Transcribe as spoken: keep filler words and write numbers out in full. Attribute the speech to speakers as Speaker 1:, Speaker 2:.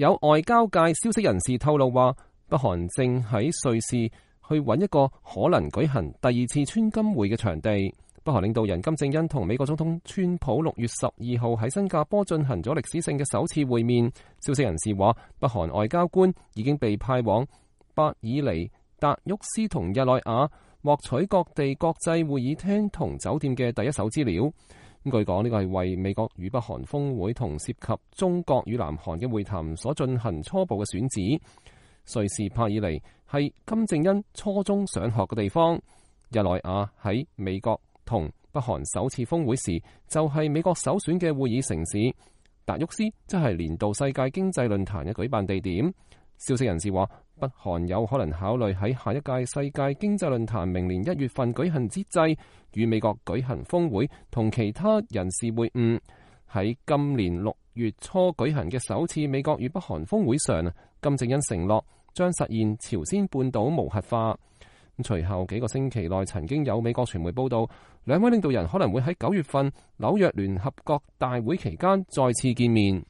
Speaker 1: 有外交界消息人士透露話，北韓正喺瑞士去揾一個可能舉行第二次川金會嘅場地。北韓領導人金正恩同美國總統川普六月十二號喺新加坡進行咗歷史性嘅首次會面。消息人士話，北韓外交官已經被派往伯爾尼、達沃斯同日內瓦，獲取各地國際會議廳同酒店嘅第一手資料。咁據講，呢個係為美國與北韓峰會同涉及中國與南韓嘅會談所進行初步嘅選址。瑞士伯爾尼係金正恩初中上學嘅地方，日內瓦喺美國同北韓首次峰會時就係美國首選嘅會議城市，達沃斯則係年度世界經濟論壇嘅舉辦地點。消息人士話，北韓有可能考慮喺下一屆世界經濟論壇明年一月份舉行之際，與美國舉行峰會同其他人士會晤。喺今年六月初舉行嘅首次美國與北韓峰會上，金正恩承諾將實現朝鮮半島無核化。隨後幾個星期內，曾經有美國傳媒報道，兩位領導人可能會喺九月份紐約聯合國大會期間再次見面。